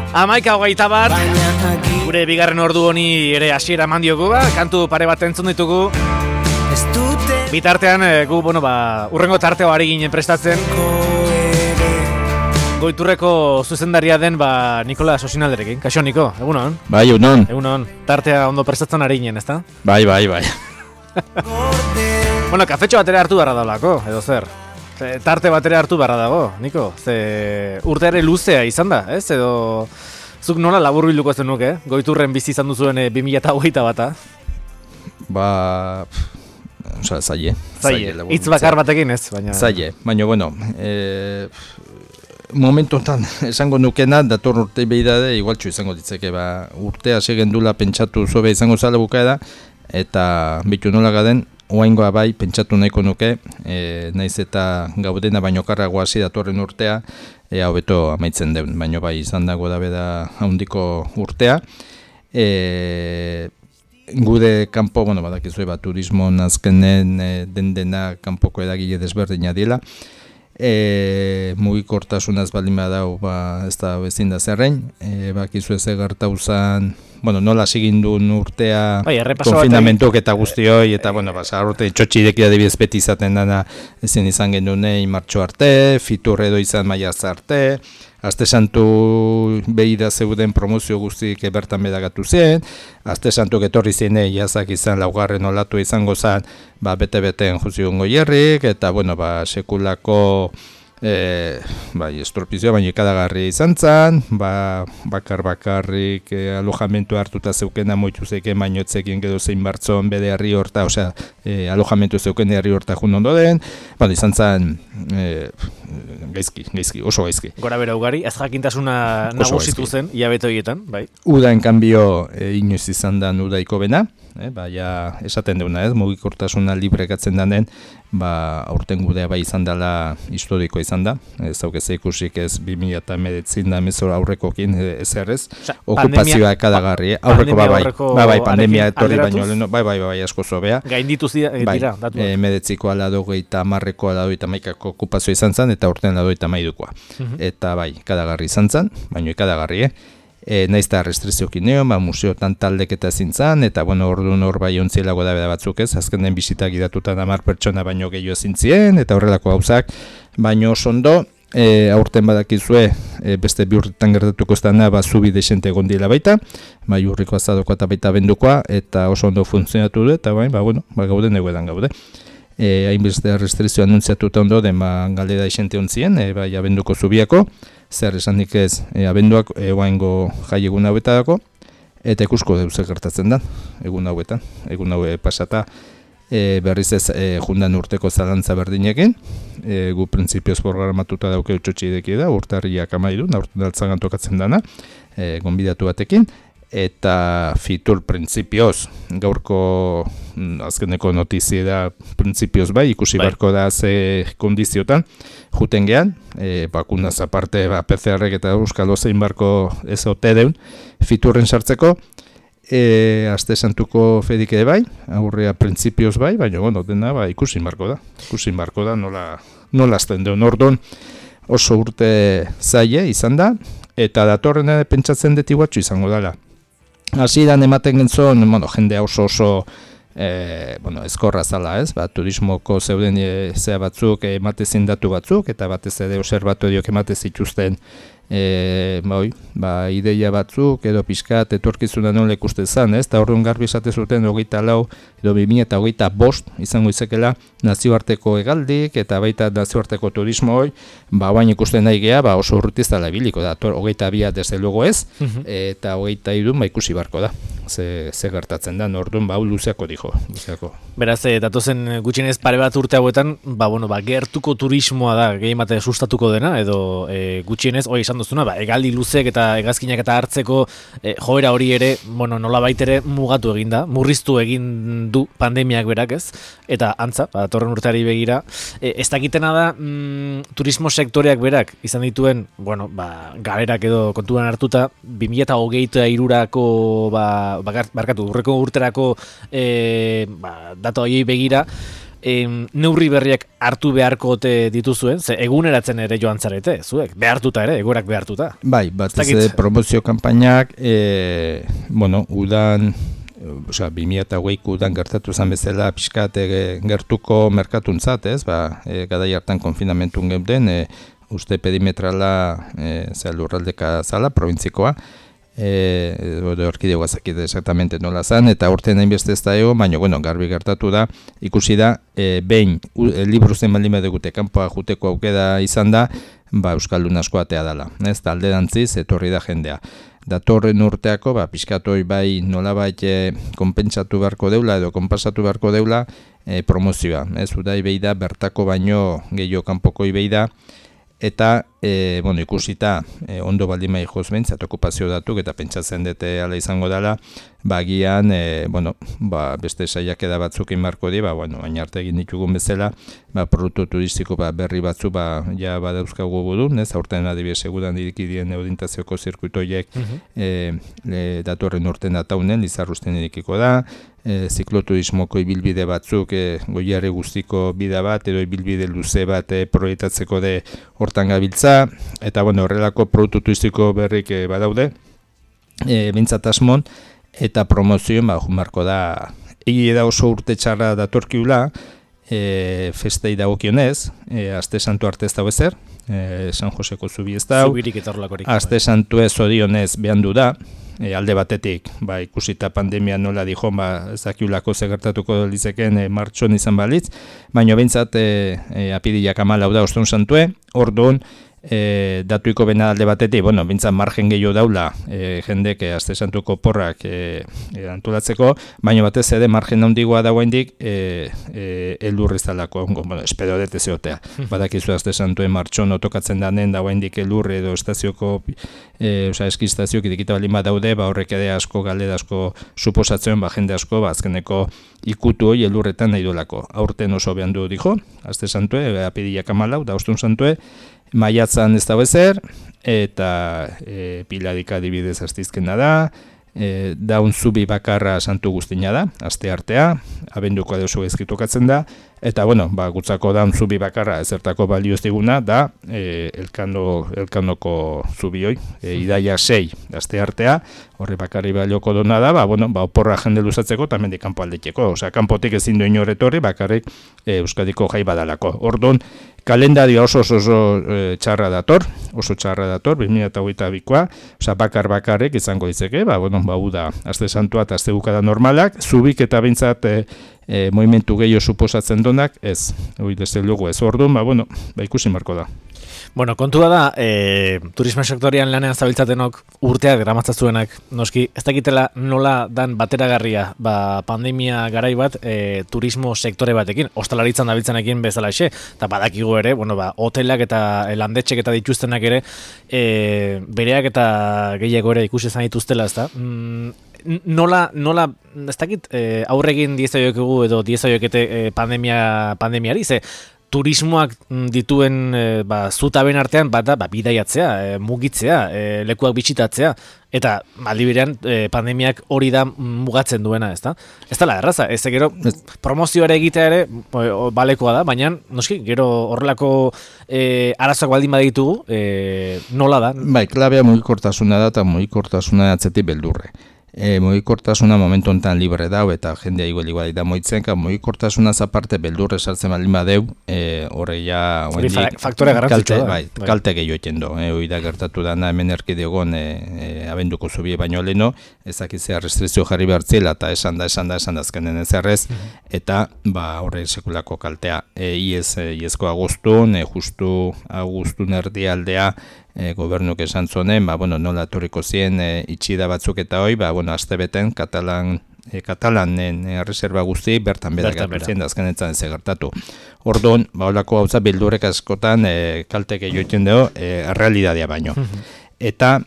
11:21 gure bigarren ordu honi ere hasiera eman diogu, kantu pare bat entzun ditugu. Bitartean gu urrengo tarteo ari ginen prestatzen. Goiturreko zuzendaria den Nikola Sosinalderekin. Kaixo Niko, egunon? Bai, egunon. Egunon. Tartea ondo prestatzen ari ginen, ezta? Bai. Kafetxo batera hartu beharra daulako, edo zer? Tarte batera hartu beharra dago, Niko. Ze urteare luzea izan da, ez? Edo zuk nola laburbilduko zen nuke, Goiturren bizi izan duzuen 2021 zaie. Hitz bakar batekin ez, baina... Zaie, baina, momentu honetan esango nukena, dator urte behidade, igualtxo izango ditzeke, urtea segendula pentsatu zobe izango zala bukaeda, eta bitu nola gaden, oaingoa bai pentsatu nahiko nuke, naiz eta gaudena baino karrago hasi datorren urtea, hobeto amaitzen deun, baino bai izan dago da beda handiko urtea. Gude kanpo, badakizue turismo azkenen dena kanpoko edagile desberdina diela. Mugikortasunaz baldin badau, ez da bezin da zerrein, bakizue ze gertauzan, nola sigindun urtea, konfinamentuk eta guztioi, eta urte txotxidek adibidez beti izaten dana ezin izan genuen martxo arte, fitur edo izan maiaz arte, Aste Santu behida zeuden promozio guztiek bertan bedagatu zen, Aste Santuk etorri zine jazak izan laugarren olatu izango zen, bete-beten juzion goierrik, eta sekulako estorpizioa baina ikadagarri izan zen, bakarrik alojamentu hartuta zeukena moitu zeiken baino etzekin gedo zein bartzon bede herri horta, alojamentu zeuken herri horta jun ondo den, izan zen gaizki, oso gaizki. Gora bera ugari, ez jakintasuna nagusitu zen, hilabete horietan, bai? Uda enkanbio inoiz izan da udaiko bena, esaten deuna ez, mugikortasuna librekatzen den, aurten gudea bai izan dela historiko izan da, ez haukez ikusik ez 2019 da mezor aurrekokin ezerrez, okupazioa ekadagarri, aurreko bai, pandemia etorri baino, bai, asko zobea. Gainditu dira, datu. Medetziko aladogeita marreko aladogeita maikako okupazioa izan zen, eta urten aladogeita maidukoa. Eta bai, ekadagarri izan zen, baino ekadagarri, naiz eta restriziokin nio, museotan taldek eta zintzan, eta orduan hor bai ontzielago da batzuk ez, azken den bisitak idatutan 10 pertsona baino gehiago zintzien, eta horrelako gauzak, baino oso ondo, aurten badakizue, beste bi urtetan gertatuko ez dana, zubi desente gondila baita, urriko azadoko eta baita bendukoa, eta oso ondo funtzionatu du, eta gauden eguedan gaude. Hainbeste restrizio anuntziatuta ondo, galdera isente ontzien, abenduko zubiako, zer esanik ez abenduak oaingo jai egun hauetako, eta ikusko deuze gertatzen da, egun hauetan, egun haue pasata, berriz ez jundan urteko zalantza berdinekin, gu printzipioz programatuta dauke utxotxideki da, urtarriak amaidu, urten altzagan tokatzen dana, gonbidatu batekin, eta fitur printzipioz, gaurko azkeneko notizia da printzipioz bai, ikusi barko da ze kondiziotan, juten gehan, bakunaz aparte PCR-ek eta euskal ozein barko ez ote deun, fiturren sartzeko, Aste Santuko fedik ere bai, aurrea printzipioz bai, baina dena ikusi barko da, nola azten deun ordon, oso urte zaie izan da, eta datorren pentsatzen deti guatxo izango dela. Hasieran ematen gentzon, jendea oso ezkorra zala ez, turismoko zeuden zea batzuk ematezin datu batzuk, eta batez ere observatoriok ematez zituzten ideia batzuk, edo pixkat etorkizuna nola ikusten zan, ez, eta horren garbi esate zuten 24 edo 2025 izango izakela nazioarteko hegaldik, eta baita nazioarteko turismo hoi, bain ikusten nahi geha, oso urrutiz dala biliko da, 22 desde luego ez, eta 23 ikusi barko da, ze gertatzen da, orduan luzeako dijo. Beraz, datozen gutxienez pare bat urte hauetan, gertuko turismoa da gehiemate sustatuko dena, edo gutxienez, izan duzuna, hegaldi luzek eta hegazkinak eta hartzeko joera hori ere, nola baitere mugatu egin da, murriztu egin du pandemiak berak ez, eta antza, datorren urteari begira, ez dakitena da turismo sektoreak berak izan dituen, galerak edo kontuan hartuta, 2023ko urreko urterako datu hori begira, neurri berriak hartu beharko dituzuen, ze eguneratzen ere joan zarete, zuek, behartuta ere, egoerak behartuta. Bai, batez promozio kanpainak, udan, 2008ko udan gertatu zen bezala, pixkat gertuko merkatuntzat, ez, gadai hartan konfinamentun geuden, uste perimetrala lurraldeka zala, provintzikoa, orkidegoa zakite exactamente nola zan, eta urtean hainbeste ez da baina, garbi gertatu da, ikusi da, behin, libru zen baldin badegute, kanpoa juteko aukeda izan da, Euskaldun asko atea dela, ez, alderantziz, etorri da jendea. Datorren urteako, pixkatoi bai nolabait konpentsatu beharko deula edo konpasatu beharko deula promozioa. Ez, udai behi da, bertako baino gehiago kanpoko behi da, eta, ikusita, ondo baldin mai joz behintzat okupazio datuk, eta pentsatzen dute ala izango dela, bagian, beste saiakera batzuk inbarko di, baina arte egin ditugun bezala, produktu turistiko berri batzu, ja badauzkagu budun, ez, aurten adibidez segudan dirikidien eudintazioko zirkuitoiek datorren urten dataunen, Lizarrusten irikiko da, zikloturismoko ibilbide batzuk, goiarri guztiko bida bat, edo ibilbide luze bat proiektatzeko de hortan gabiltza, eta horrelako produktu turistiko berrik badaude, bintzat asmon, eta promozioen jumarko da, egi da oso urte txarra datorkiula, festei dagokionez, aste santu arte ez dago ezer, San Joseko zubi ez dago, aste santu ez odionez behan du da, alde batetik, ikusita pandemia nola dijon, ez dakiulako zegertatuko lizeken martxon izan balitz, baina bintzat apiriak 14 da oston santue, orduan, datuiko bena alde batetik, bintzat margen gehiago daula jendek aste santuko porrak antolatzeko, baina batez ere margen handigoa dagoendik elur izalako, espero dut ez egotea. Badakizu aste santuen martxon otokatzen danen dagoendik elur edo estazioko, eskistazioak idikita balin bat daude, horrek ere asko galdera asko suposatzen, jende asko, azkeneko ikutu hori elurretan nahi duelako. Aurten oso behan du dijo, aste santue, apiriak 14 da ostun santue, maiatzan ez dago ezer, eta piladik adibidez astizkena da, daun zubi bakarra santu guztina da, aste artea, abenduko adeoso ezkitokatzen da, eta gutzako daun zubi bakarra ezertako balio ez diguna, da elkanoko zubi hoi, idaia 6 aste artea, horre bakarri balioko dona da, oporra jende luzatzeko, eta mendik kanpo aldeteko, kanpotik ezin duen horretorri, bakarrik Euskadiko jai badalako. Orduan, kalendario oso txarra dator, 2022koa, bakarrik izango ditzeke, uda, aste santua eta aste bukada normalak, zubik eta bintzat movimentu gehiago suposatzen donak, ez, desde luego ez. Orduan, ikusi marko da. Kontua da, turismo sektorian lanean zabiltzatenok urteak gramatzazuenak, noski, ez dakitela nola dan bateragarria pandemia garai bat turismo sektore batekin, ostalaritzan dabiltzanekin bezala exe, eta badakigu ere, hotelak eta landetxek eta dituztenak ere, bereak eta gehiago ere ikusi izan dituztela, ez da? Nola, ez dakit, aurregin diezaioekegu edo diezaioekete pandemiari, ze turismoak dituen zutaben artean bidaiatzea, mugitzea, lekuak bitxitatzea, eta aldi berean pandemiak hori da mugatzen duena, ez da? Ez dela erraza, ez da gero promozioare egitea ere balekoa da, baina noski, gero horrelako arazoak baldin baditugu, nola da? Klabea mugikortasuna da eta mugikortasuna atzetik beldurre. Mugikortasuna momentu honetan libre dau eta jendea igual da moitzen, mugikortasuna aparte beldurre sartzen baldin badeu, horreia faktore garrantzitsua da. Kalte gehiago eten do, hori da gertatu dana hemen erkidegon abenduko zubie baino leno, ezakitzea restrikzio jarri behartzela eta esan da azkenen ezerrez, eta horre sekulako kaltea. Iezko agustun, justu agustun erdialdea, gobernuk esan zonen, nola etorriko zien itxida batzuk eta hoi, astebeten Katalanen reserva guzti bertan gertu zien, azkenetan ez gertatu. Orduan, holako gauza bildurek askotan kaltek egiten dugu, realitatea baino. Eta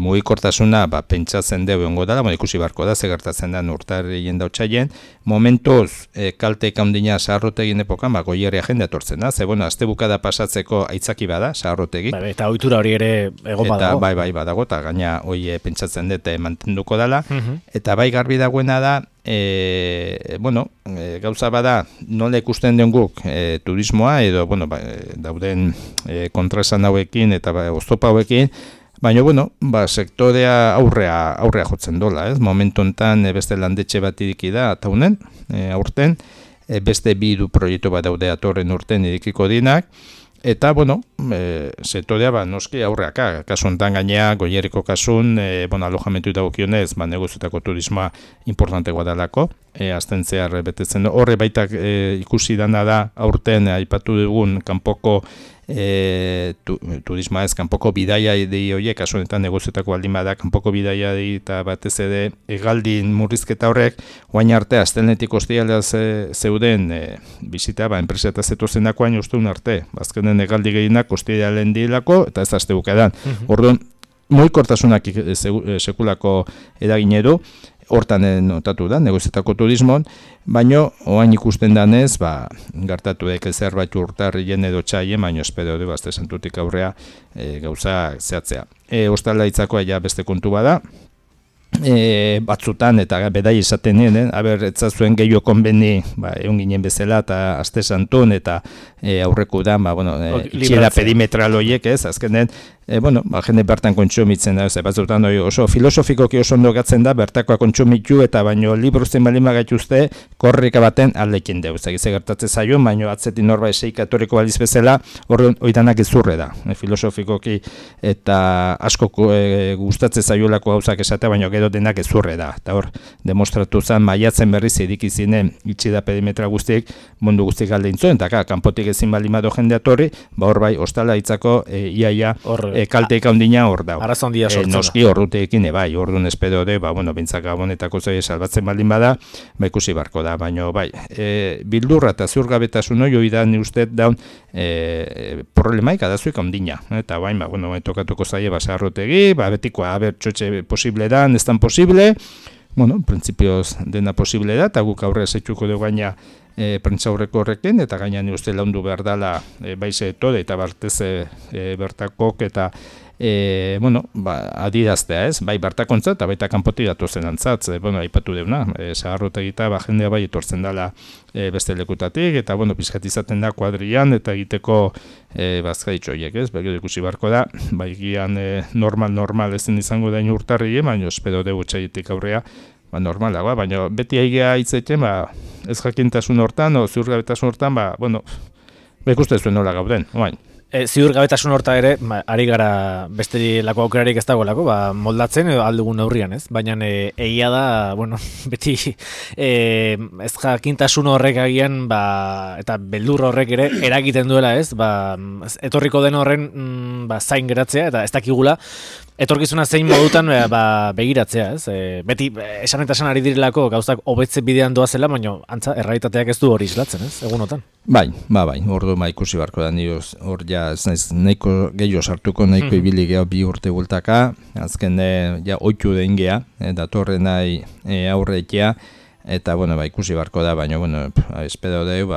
mugikortasuna pentsatzen dugu ongo dela, ikusi barko da, gertatzen da urtarrien dautxaien, momentuz kalteik handina saharrotegin epokan, goierria jende atortzen da, azte bukada pasatzeko aitzaki bada, saharrotegi. Eta ohitura hori ere egon badago. Bai, badago, eta gaina hoi pentsatzen dute mantenduko dela, eta bai garbi dagoena da, gauza bada nola ikusten den guk turismoa edo dauden kontraesan hauekin eta oztopa hauekin, baina sektorea aurrea jotzen dola, ez? Momentu honetan beste landetxe bat iriki da ataunen, aurten, beste 2 proiektu bat daude atorren urten irikiko dinak, eta, sektorea noski aurreaka, kasu honetan gainea, Goierriko kasun, alojamentu dagokionez, negozioetako turismoa importantegoa dalako, azten zehar betetzen horre baitak ikusi dana da aurten aipatu dugun kanpoko turismoa ez, kanpoko bidaia di horiek, kasu honetan negozioetako baldin bada kanpoko bidaia di eta batez ere egaldin murrizketa horrek, oain arte astelenetik ostialea zeuden bizita, enpresa eta zetozenako hain usteun arte, bazkenen egaldi gehienak ostialean dilako eta ez azte bukadan. Orduan, mugikortasunak sekulako eragin edu, hortan notatu da, negozioetako turismon, baina oain ikusten danez, gertatu daik zerbait urtarrien edo txaien, baina espero du, azte santutik aurrea gauza zehatzea. Ostala itzakoa ja beste kontu bada, batzutan eta bedai esaten nien, etzazuen gehiago konbeni egun ginen bezala eta aste santun eta aurreku da, itxiera perimetral horiek ez, azkenen, jende bertan kontsumitzen da, batzutan oso filosofikoki oso ondo gatzen da, bertakoa kontsumitu eta baino libruzten balin bagaituzte, korrika baten aldekin deu, egize gertatzen zaion, baino atzetin norba eseik atoriko baliz bezala, oidanak ezurre da, filosofikoki eta asko gustatzen zaiolako gauzak esatea, baino gero denak ezurre da, eta hor, demostratu zen, maiatzen berriz edikizinen itxida perimetra guztiek, mundu guztiek alde intzuen, eta kanpotik ezin balin bado jende atorri, hor bai, ostala itzako iaia kalteik handina hor da. Arazo handia sortzen da. Noski horruteekin, orduan espero de, bintzak gabonetako zoi salbatzen baldin bada, ikusi barko da, baina bildurra eta ziurgabetasun hori da ni uste daun problemaik adazuik handina. Eta tokatuko zaie basarrotegi, betikoa, txotxe posible da, ez tan posible, prinsipioz dena posible da, eta guk aurre zetxuko dugu gaina prentzaurreko horrekin, eta gaina ni uste laundu behar dela baize etode, eta bartez bertakok, eta adiraztea ez, bai bertakontza eta baita kanpotik datozen antzatz, aipatu deuna, zaharrotegita jendea bai etortzen dela beste lekutatik, eta pizkat izaten da kuadrian, eta egiteko bazkaitxo horiek ez, begio ikusi barko da, bai gian normal ezen izango dain urtarri, baina espero dugu txaitik aurrea, normalagoa, baina beti aigea hitzeten, ez jakintasun hortan, o ziurgabetasun hortan, ikuste zuen nola gauden, oain. Ziurgabetasun horta ere, ari gara beste lako aukerarik ez dagoelako, moldatzen edo aldugun neurrian, ez? Baina egia da, beti ez jakintasun horrek agian, eta beldur horrek ere eragiten duela, ez? Etorriko den horren zain geratzea, eta ez dakigula, etorkizuna zein modutan begiratzea, ez? Beti esan eta esan ari direlako gauzak hobetze bidean doazela, baina antza, errealitateak ez du hori islatzen, ez? Egunotan. Bai, ordu ikusi barko da nioz, hor ja ez naiz nahiko gehiago sartuko, nahiko ibili gehiago 2 urte bultaka, azken oitu den geha, datorren nahi aurreitea, eta ikusi barko da, baina espero dugu,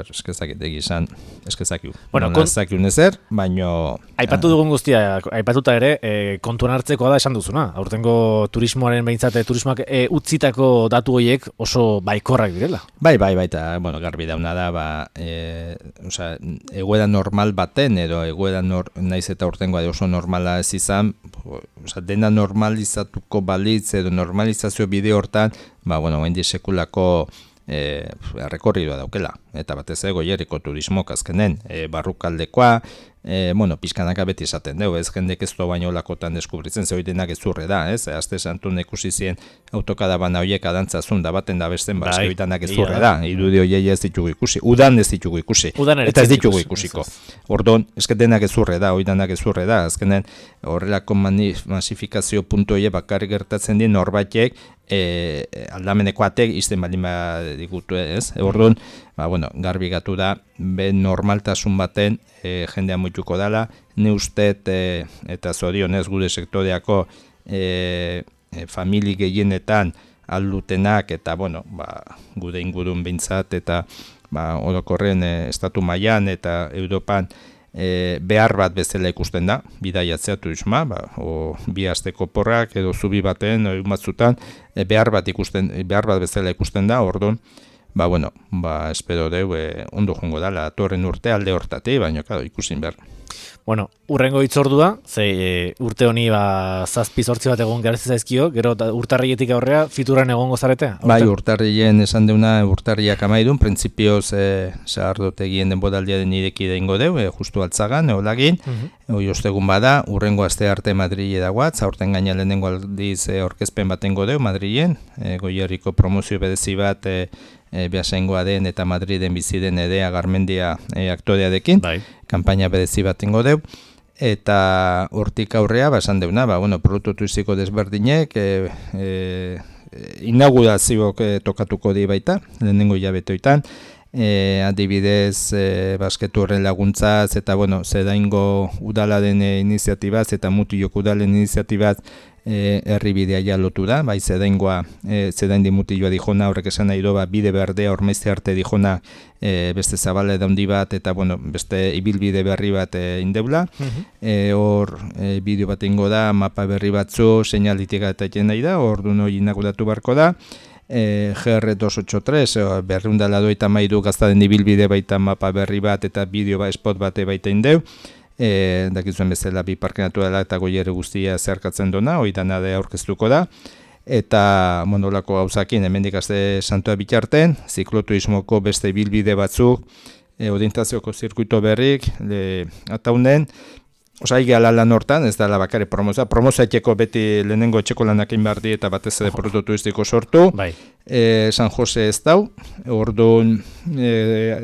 eskezakit egizan, eskezakiu. Nazakiu nezer, baina... Aipatu dugun guztia, aipatuta ere, kontuan hartzekoa da esan duzuna. Aurtengo turismoaren behintzat, turismoak utzitako datu horiek oso baikorrak direla. Bai, eta garbi dauna da, egoera normal baten, edo egoera naiz eta aurtengoa oso normala ez izan, dena normalizatuko balitz, edo normalizazio bide hortan, hendi sekulako rekorridua daukela, eta batez Goierriko turismok azkenen barrukaldekoa, pixkanaka beti esaten dugu, ez jendek ez doa baino lakotan deskubritzen, ze hori denak ezurre da, ez? Azte santun ikusi zien autokada bana horiek adantzazun da baten da besten, hori denak ezurre da, irudi horiei ez ditugu ikusi, udan ez ditugu ikusi, eta ez ditugu ikusiko. Orduan, esket denak ezurre da, hori denak ezurre da, azkenen horrelako masifikazio puntu horiek bakarrik gertatzen dien norbaitek, aldameneko atek izten baldin badigutu ez, orduan, garbi gatu da, normaltasun baten jendea muituko dela, ne ustet eta zorionez gure sektoreako famili gehienetan aldutenak eta gure ingurun behintzat eta orokorren estatu mailan eta Europan behar bat bezala ikusten da, bidaiatzea turisma, o bi asteko porrak edo zubi baten, egun batzutan, behar bat bezala ikusten da, orduan, espero deu, ondo jongo da, datorren urte alde hortatik, baina ikusin behar. Bueno, urrengo hitzordua, urte honi 7-8 bat egon garezi zaizkio, gero urtarrietik aurrea fituran egongo zarete? Bai, urtarrien esan deuna urtarriak amaidun, printzipioz sagardotegien denboraldiaren ireki deingo deu, justu altzagan, eolagin, hoi ostegun bada, urrengo aste arte Madrile dagoat, zaurten gaina lehenengo aldiz orkezpen batengo deu Madrilen, Goierriko promozio berezi bat behasaingoa den eta Madriden bizi den Edea Garmendia aktorearekin, kanpaina berezi batengo deu, eta hortik aurrea, esan deuna, produktu turistiko desberdinek, inaugurazioak tokatuko di baita, lehenengo hilabetoitan, adibidez, basketu horren laguntzaz, eta zedaingo udalaren iniziatibaz, eta Mutilok udalen iniziatibaz, herribidea ja lotu da, bai zedaingoa, zedaindi Mutilloa dijona, horrek esan nahi doa, bide berdea, ormaizte arte dijona, beste zabale daundi bat, eta beste ibilbide berri bat indeula, hor bideo bat ingo da, mapa berri batzu, seinalitika eta eten nahi da, hor du noi inauguratu barko da, GR283, berriundala doita maidu gaztaden ibilbide baita mapa berri bat, eta bideo spot bate baita indeu, dakizuen bezala bi parke naturala eta Goierri guztia zeharkatzen dona, hori dana da aurkeztuko da, eta olako gauzakin hemendik aste santua bitarten, zikloturismoko beste ibilbide batzuk, orientazioko zirkuito berrik, ataunen, Osai lan hortan, ez da bakare promozioa etxeko beti lehenengo etxeko lanak inbardi eta batez ere produktu turistiko sortu. San Jose ez dau, orduan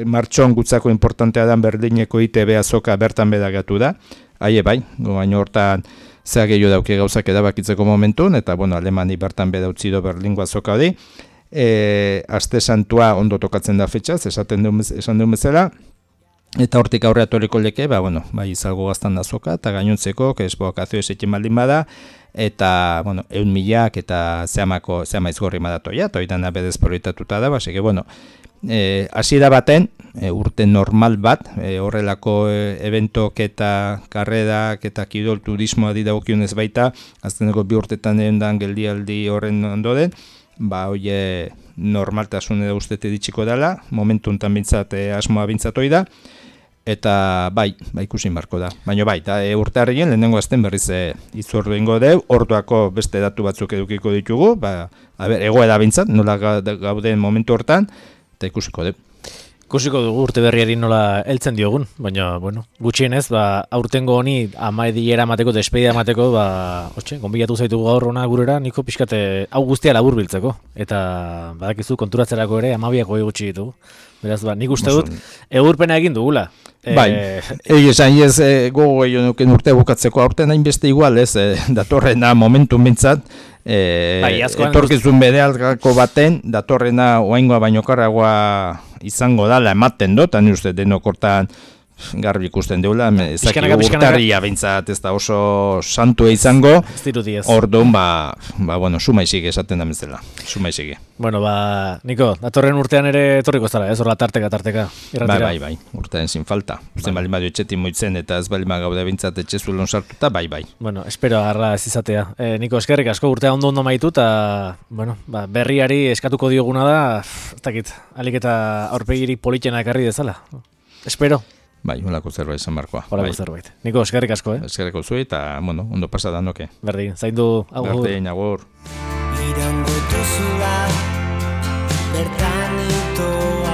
martxon gutzako importantea dan Berdineko ITB azoka bertan bedagatu da. Baina hortan zea gehiago dauke gauzak edabakitzeko momentun, eta Alemani bertan bedautzi do Berlingo azoka hori. Aste santua ondo tokatzen da fetxaz, esan duen bezala. Eta hortik aurrea toriko leke, izalgo gaztan da azoka, eta gainontzeko, esbokazio esekin baldin bada, eta, 100.000 eta zehama izgorri madatoia, eta hori dana bedez proietatuta da, hasi da baten, urte normal bat, horrelako eventok eta karredak eta kirol turismoa didagokionez baita, azteneko 2 urtetan erendan geldialdi horren ondoren, hori normaltasun edo ustete ditxiko dela, momentu enten bintzat asmoa bintzatoi da, eta ikusin barko da. Baina urte harrien lehenengo azten berriz itzordu ingo deu, orduako beste datu batzuk edukiko ditugu, egoera bintzat, nola gauden momentu hortan, eta ikusiko deu. Ikusiko dugu urte berriari nola heltzen diogun, baina, gutxienez, aurtengo honi amaidiera mateko, despedida mateko, gonbilatu zaitugu gaur hona gurera, niko pixkate hau guztia labur biltzeko, eta badakizu konturatzerako ere 12 gutxi ditugu. Beraz, nik uste dut, egurpena egin dugula. Esan gogo egin nuken urte bukatzeko aurten hainbeste igual, datorrena momentum bintzat, etorkizun bedealgako baten, datorrena oaingoa baino karragoa izango dala ematen dut, ni uste denokortan garbi ikusten deula, ezaki urtarria bintzat ez da oso santua izango, orduan, sumaizik esaten da bezala, sumaizik. Niko, datorren urtean ere etorriko zara, horla tarteka. Bai, urtean zin falta. Usten bali madio etxetin moitzen eta ez bali magaude bintzat etxezulon sartuta, bai. Espero agarra ez izatea. Niko, eskerrik asko urtea ondo maitu eta, berriari eskatuko dioguna da, ez dakit, alik eta aurpegirik politena ekarri dezala. Espero. Holako zerbait izan barkoa. Holako zerbait. Niko, eskerrik asko, Eskerrik zui eta, ondo pasada noke. Berdin, zaindu, agur. Berdin, agur. Irango duzula, bertan itoa.